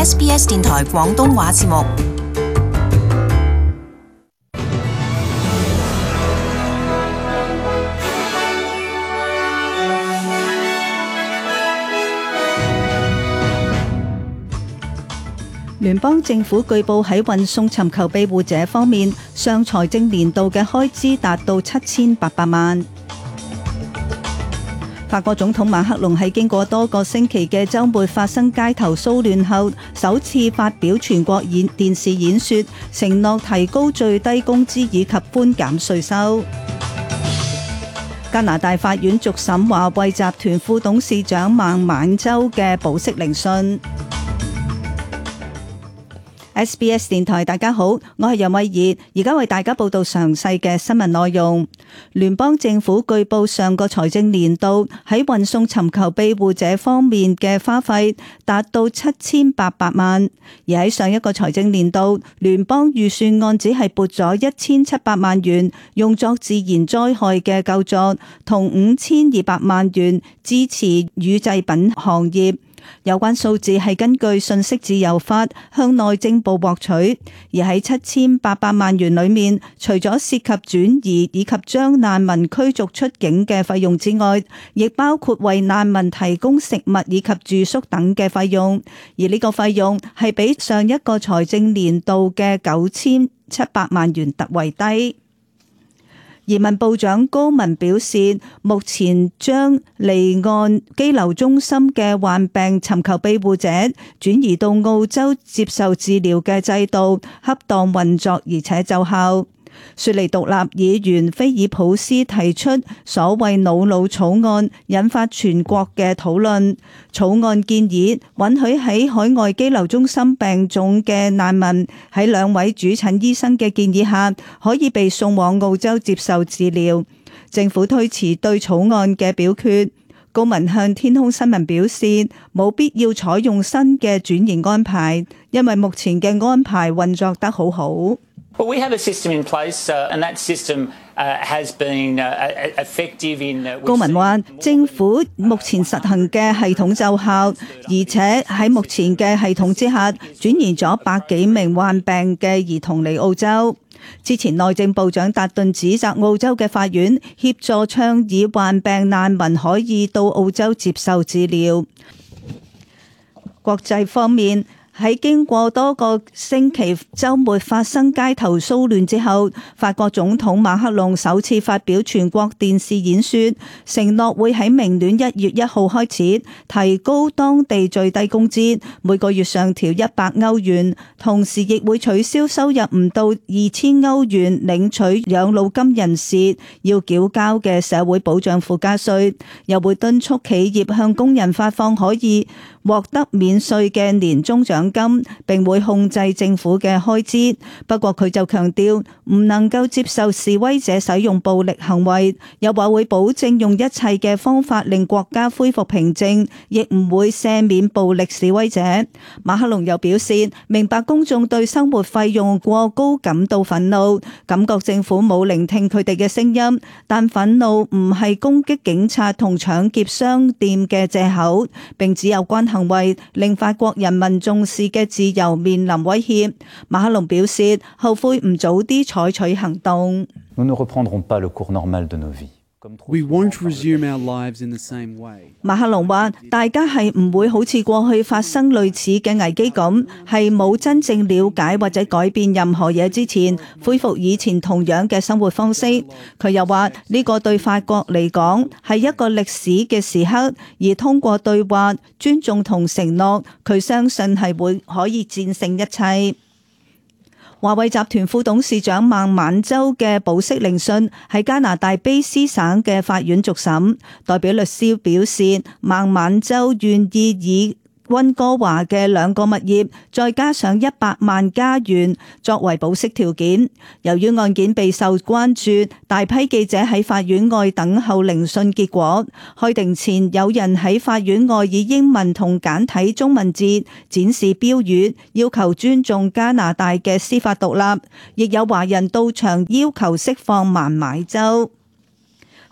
SBS 電台廣東話節目。聯邦政府據報喺運送尋求庇護者方面，上財政年度嘅開支達到7800萬。法國總統馬克龍喺經過多個星期嘅週末發生街頭騷亂後，首次發表全國電視演說，承諾提高最低工資以及寬減稅收。加拿大法院續審華為集團副董事長孟晚舟嘅保釋聆訊。SBS 電台，大家好，我係楊慧儀，而家為大家報道詳細嘅新聞內容。聯邦政府據報上個財政年度喺運送尋求庇護者方面嘅花費達到7800萬，而喺上一個財政年度，聯邦預算案只係撥咗1700萬元用作自然災害嘅救助，同5200萬元支持乳製品行業。有關數字係根據信息自由法向內政部獲取，而喺7800萬元裏面，除咗涉及轉移以及將難民驅逐出境嘅費用之外，亦包括為難民提供食物以及住宿等嘅費用，而呢個費用係比上一個財政年度嘅9700萬元特為低。移民部長高文表示，目前將離岸羈留中心嘅患病尋求庇護者轉移到澳洲接受治療嘅制度恰當運作，而且奏效。雪梨獨立議員菲爾普斯提出所謂瑙魯草案，引發全國嘅討論。草案建議允許喺海外羈留中心病重嘅難民喺兩位主診醫生嘅建議下，可以被送往澳洲接受治療。政府推遲對草案嘅表決。高文向天空新聞表示，冇必要採用新嘅轉移安排，因為目前嘅安排運作得好好。Well, we have a system in place, and that system has been effective in. 高文話，政府目前實行嘅系統奏效，而且喺目前嘅系統之下，轉移咗100幾名患病嘅兒童嚟澳洲。之前內政部長達頓指責澳洲嘅法院協助倡議患病難民可以到澳洲接受治療。國際方面，喺經過多個星期週末發生街頭騷亂之後，法國總統馬克龍首次發表全國電視演說，承諾會喺明年1月1號開始提高當地最低工資，每個月上調100歐元，同時亦會取消收入唔到2000歐元領取養老金人士要繳交嘅社會保障附加稅，又會敦促企業向工人發放可以獲得免稅嘅年終獎金，並會控制政府嘅開支。不過佢就強調唔能夠接受示威者使用暴力行為，又話會保證用一切嘅方法令國家恢復平靜，亦唔會赦免暴力示威者。馬克龍又表示，明白公眾對生活費用過高感到憤怒，感覺政府冇聆聽佢哋嘅聲音，但憤怒唔係攻擊警察同搶劫商店嘅藉口，並只有關行為令法國人民重視嘅自由面臨威脅。馬克龍表示後悔唔早啲採取行動。We won't resume our lives in the same way. 馬克龍話：大家係唔會好似過去發生類似嘅危機咁，係冇真正了解或者改變任何嘢之前，恢復以前同樣嘅生活方式。佢又話：呢個對法國嚟講係一個歷史嘅時刻，而通過對話、尊重同承諾，佢相信係會可以戰勝一切。華為集團副董事長孟晚舟嘅保釋聆訊喺加拿大卑詩省嘅法院續審，代表律師表示，孟晚舟願意以溫哥華嘅2個物業，再加上100萬加元作為保釋條件。由於案件備受關注，大批記者喺法院外等候聆訊結果。開庭前，有人喺法院外以英文同簡體中文字展示標語，要求尊重加拿大嘅司法獨立。亦有華人到場要求釋放孟晚舟。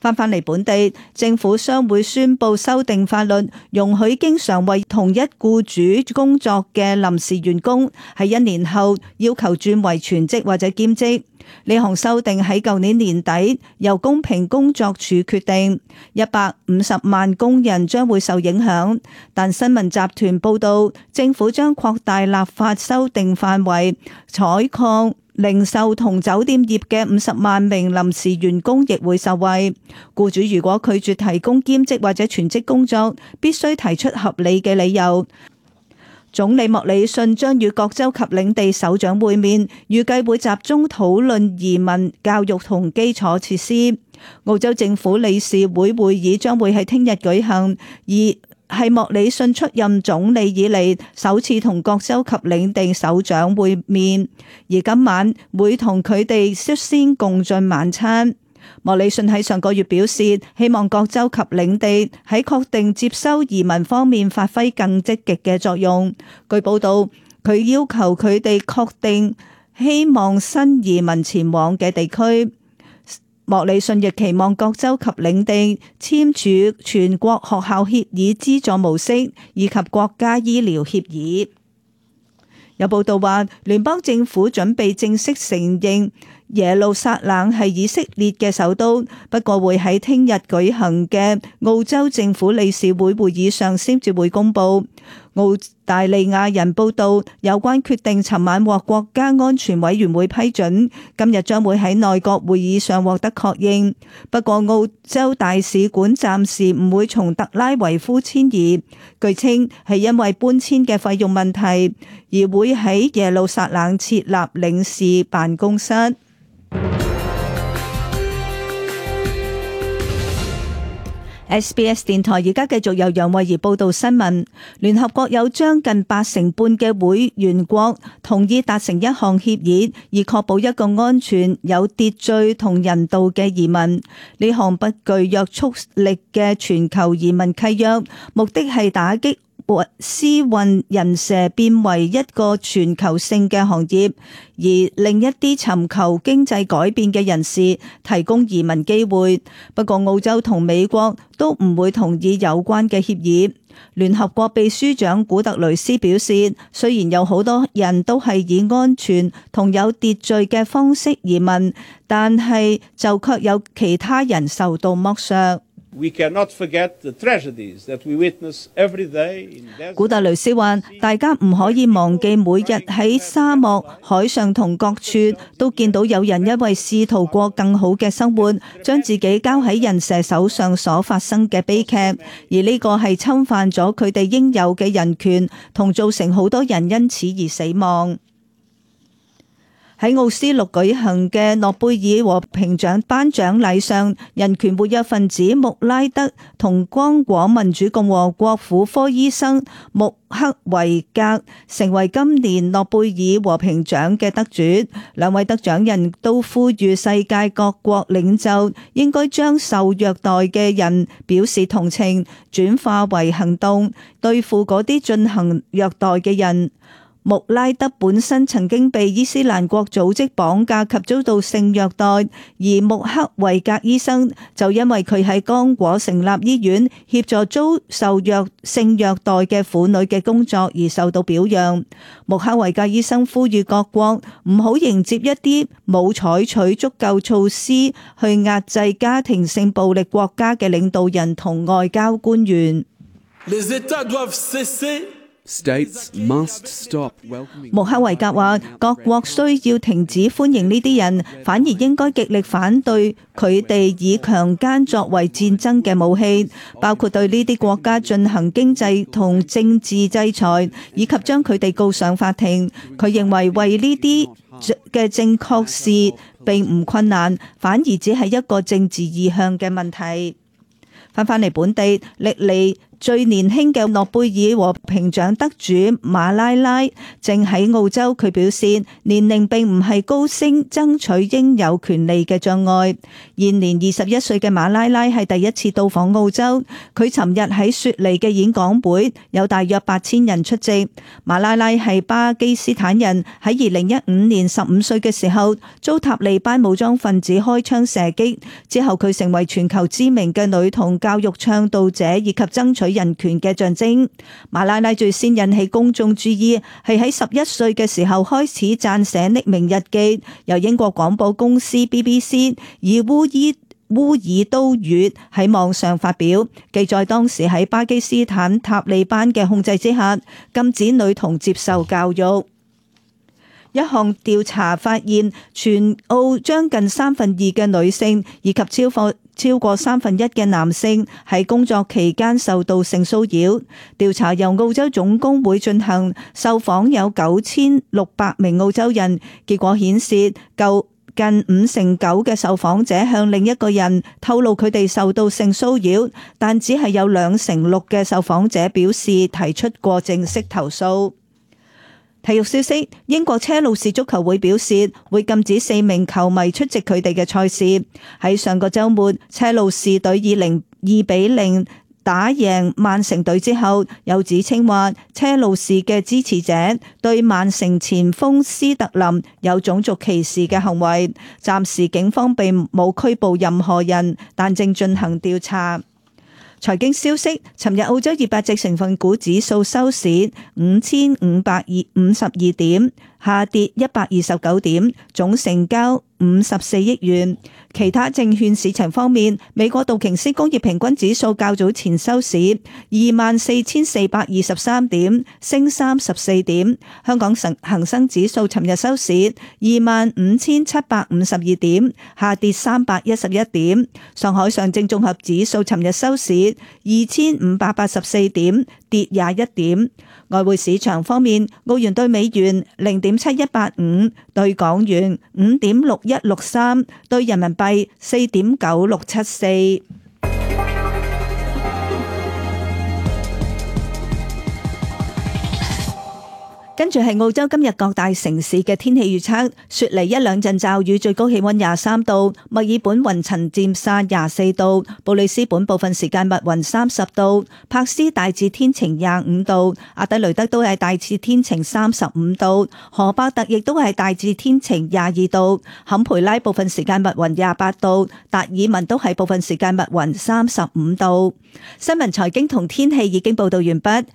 返嚟本地，政府將會宣布修訂法律，容許經常為同一僱主工作嘅臨時員工喺1年後要求轉為全職或者兼職。呢項修訂喺舊年年底由公平工作處決定，150萬工人將會受影響。但新聞集團報道，政府將擴大立法修訂範圍，採礦、零售同酒店業嘅50萬名臨時員工亦會受惠。僱主如果拒絕提供兼職或者全職工作，必須提出合理嘅理由。總理莫里遜將與各州及領地首長會面，預計會集中討論移民、教育同基礎設施。澳洲政府理事會會議將會喺聽日舉行，而係莫里遜出任總理以嚟首次同各州及領地首長會面，而今晚會同佢哋率先共進晚餐。莫里遜喺上個月表示，希望各州及領地喺確定接收移民方面發揮更積極嘅作用。據報道，佢要求佢哋確定希望新移民前往嘅地區。莫里遜亦期望各州及領地簽署全國學校協議資助模式以及國家醫療協議。有報道話，聯邦政府準備正式承認耶路撒冷係以色列嘅首都，不過會喺聽日舉行嘅澳洲政府理事會會議上先至會公佈。澳大利亞人報道，有關決定尋晚獲國家安全委員會批准，今日將會喺內閣會議上獲得確認。不過澳洲大使館暫時唔會從特拉維夫遷移，據稱係因為搬遷嘅費用問題，而會喺耶路撒冷設立領事辦公室。SBS 電台而家繼續由楊慧儀報道新聞。聯合國有將近80%嘅會員國同意達成一項協議，以確保一個安全、有秩序同人道嘅移民。呢項不具約束力嘅全球移民契約，目的係打擊私運人蛇變為一個全球性嘅行業，而令一啲尋求經濟改變嘅人士提供移民機會。不過澳洲同美國都唔會同意有關嘅協議。聯合國秘書長古特雷斯表示，雖然有好多人都係以安全同有秩序嘅方式移民，但係就卻有其他人受到剝削。古特雷斯話：大家唔可以忘記每日喺沙漠、海上同各處都見到有人因為試圖過更好嘅生活，將自己交喺人蛇手上所發生嘅悲劇，而呢個係侵犯咗佢哋應有嘅人權，同造成好多人因此而死亡。喺奧斯陸舉行嘅諾貝爾和平獎頒獎禮上，人權活躍分子穆拉德同剛果民主共和國婦科醫生穆克維格成為今年諾貝爾和平獎嘅得主。兩位得獎人都呼籲世界各國領袖應該將受虐待嘅人表示同情，轉化為行動，對付嗰啲進行虐待嘅人。穆拉德本身曾經被伊斯蘭國組織綁架及遭到性虐待，而穆克維格醫生就因為佢喺剛果成立醫院協助遭受性虐待嘅婦女嘅工作而受到表揚。穆克維格醫生呼籲各國唔好迎接一啲冇採取足夠措施去壓制家庭性暴力國家嘅領導人同外交官員。穆克維格話：各國需要停止歡迎呢啲人，反而應該極力反對佢哋以強姦作為戰爭嘅武器，包括對呢啲國家進行經濟同政治制裁，以及將佢哋告上法庭。佢認為為呢啲嘅正確事並唔困難，反而只係一個政治意向嘅問題。返嚟本地，歷嚟最年輕嘅諾貝爾和平獎得主馬拉拉正喺澳洲，佢表示年齡並唔係高升爭取應有權利嘅障礙。現年21歲嘅馬拉拉係第一次到訪澳洲，佢尋日喺雪梨嘅演講會有大約8000人出席。馬拉拉係巴基斯坦人，喺2015年15歲嘅時候遭塔利班武裝分子開槍射擊，之後佢成為全球知名嘅女童教育倡導者以及爭取人權嘅象徵。馬拉拉最先引起公眾注意係喺11歲嘅時候開始撰寫匿名日記，由英國廣播公司 BBC 以烏爾都語喺網上發表，記載當時喺巴基斯坦塔利班嘅控制之下，禁止女童接受教育。一項調查發現，全澳將近2/3嘅女性以及超過1/3嘅男性喺工作期間受到性騷擾。調查由澳洲總工會進行，受訪有9600名澳洲人，結果顯示近9%嘅受訪者向另一個人透露佢哋受到性騷擾，但只係有2%嘅受訪者表示提出過正式投訴。體育消息，英國車路士足球會表示會禁止4名球迷出席佢哋嘅賽事。喺上個週末，車路士隊以2-0打贏曼城隊之後，有指稱話車路士嘅支持者對曼城前鋒斯特林有種族歧視嘅行為。暫時警方並冇拘捕任何人，但正進行調查。財經消息，尋日澳洲200隻成分股指數收市5552點，下跌129點，總成交54億元。其他證券市場方面，美國道瓊斯工業平均指數較早前收市24,423點，升34點。香港恒生指數尋日收市25,752點，下跌311點。上海上證綜合指數尋日收市2,584點，跌21點。外匯市場方面，澳元對美元0.7185，對港元5.6163，對人民幣4.9674。跟住係澳洲今日各大城市嘅天氣預測：雪梨1兩陣驟雨，最高氣溫23度；墨爾本雲層漸散24度；布里斯本部分時間密雲30度；柏斯大致天晴25度；阿德雷德都係大致天晴35度；荷伯特亦都係大致天晴22度；坎培拉部分時間密雲28度；達爾文都係部分時間密雲35度。新聞財經同天氣已經報道完畢。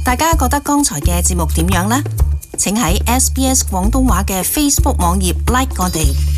大家覺得剛才嘅節目點樣呢？請喺SBS 廣東話嘅 Facebook 網頁 like 我哋。